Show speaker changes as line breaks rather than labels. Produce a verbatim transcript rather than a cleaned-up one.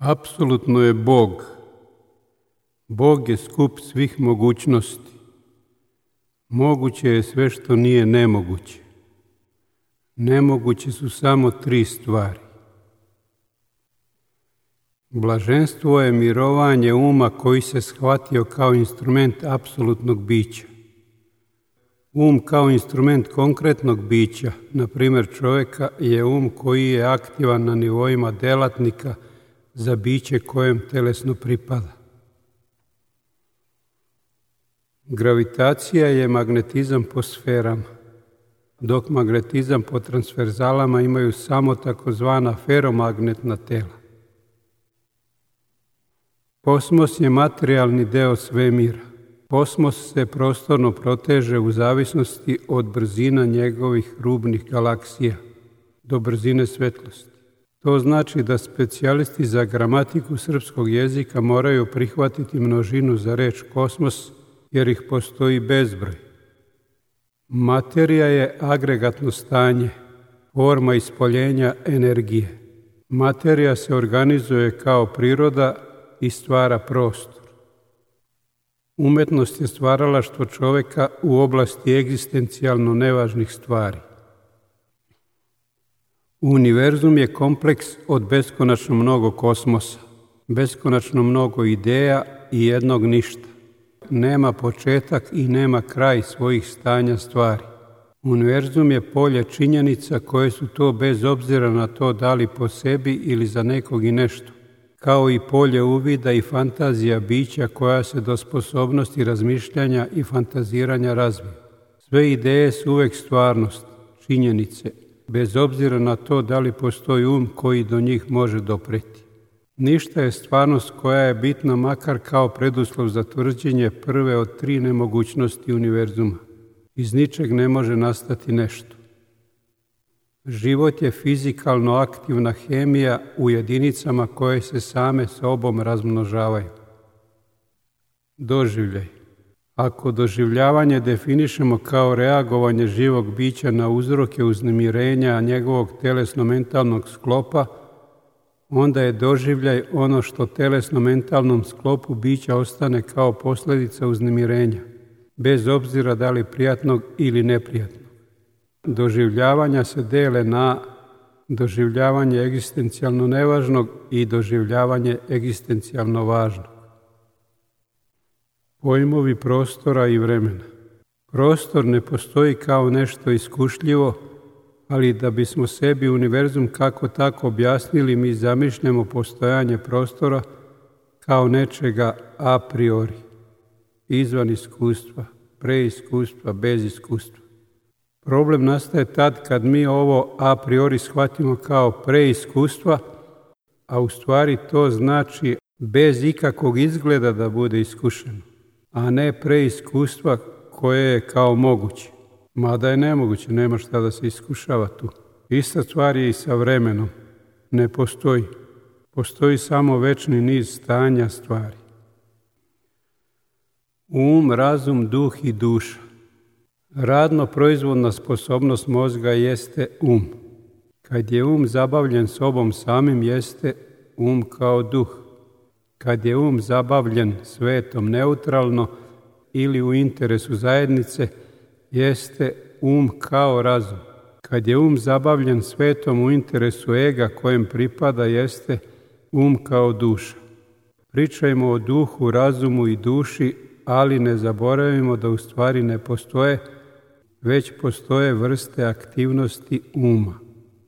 Apsolutno je Bog. Bog je skup svih mogućnosti. Moguće je sve što nije nemoguće. Nemoguće su samo tri stvari. Blaženstvo je mirovanje uma koji se shvatio kao instrument apsolutnog bića. Um kao instrument konkretnog bića, na primjer čovjeka, je um koji je aktivan na nivoima delatnika za biće kojem telesno pripada. Gravitacija je magnetizam po sferama, dok magnetizam po transverzalama imaju samo takozvana feromagnetna tela. Kosmos je materijalni deo svemira. Kosmos se prostorno proteže u zavisnosti od brzina njegovih rubnih galaksija do brzine svetlosti. To znači da specijalisti za gramatiku srpskog jezika moraju prihvatiti množinu za reč kosmos, jer ih postoji bezbroj. Materija je agregatno stanje, forma ispoljenja energije. Materija se organizuje kao priroda i stvara prostor. Umetnost je stvaralaštvo čovjeka u oblasti egzistencijalno nevažnih stvari. Univerzum je kompleks od beskonačno mnogo kosmosa, beskonačno mnogo ideja i jednog ništa. Nema početak i nema kraj svojih stanja stvari. Univerzum je polje činjenica koje su to bez obzira na to da li po sebi ili za nekog i nešto, kao i polje uvida i fantazija bića koja se do sposobnosti razmišljanja i fantaziranja razvija. Sve ideje su uvek stvarnost, činjenice, bez obzira na to da li postoji um koji do njih može dopreti. Ništa je stvarnost koja je bitna makar kao preduslov za tvrđenje prve od tri nemogućnosti univerzuma. Iz ničeg ne može nastati nešto. Život je fizikalno aktivna hemija u jedinicama koje se same sobom razmnožavaju. Doživljaj. Ako doživljavanje definišemo kao reagovanje živog bića na uzroke uznemirenja njegovog telesno-mentalnog sklopa, onda je doživljaj ono što telesno-mentalnom sklopu bića ostane kao posljedica uznemirenja, bez obzira da li prijatnog ili neprijatnog. Doživljavanja se dele na doživljavanje egzistencijalno nevažnog i doživljavanje egzistencijalno važnog. Pojmovi prostora i vremena. Prostor ne postoji kao nešto iskušljivo, ali da bismo sebi univerzum kako tako objasnili, mi zamišljamo postojanje prostora kao nečega a priori, izvan iskustva, pre iskustva, bez iskustva. Problem nastaje tad kad mi ovo a priori shvatimo kao pre iskustva, a u stvari to znači bez ikakvog izgleda da bude iskušeno, a ne pre iskustva koje je kao moguće. Mada je nemoguće, nema šta da se iskušava tu. Ista stvar je i sa vremenom. Ne postoji. Postoji samo večni niz stanja stvari. Um, razum, duh i duša. Radno proizvodna sposobnost mozga jeste um. Kad je um zabavljen sobom samim, jeste um kao duh. Kad je um zabavljen svetom neutralno ili u interesu zajednice, jeste um kao razum. Kad je um zabavljen svetom u interesu ega kojem pripada, jeste um kao duša. Pričajmo o duhu, razumu i duši, ali ne zaboravimo da u stvari ne postoje, već postoje vrste aktivnosti uma.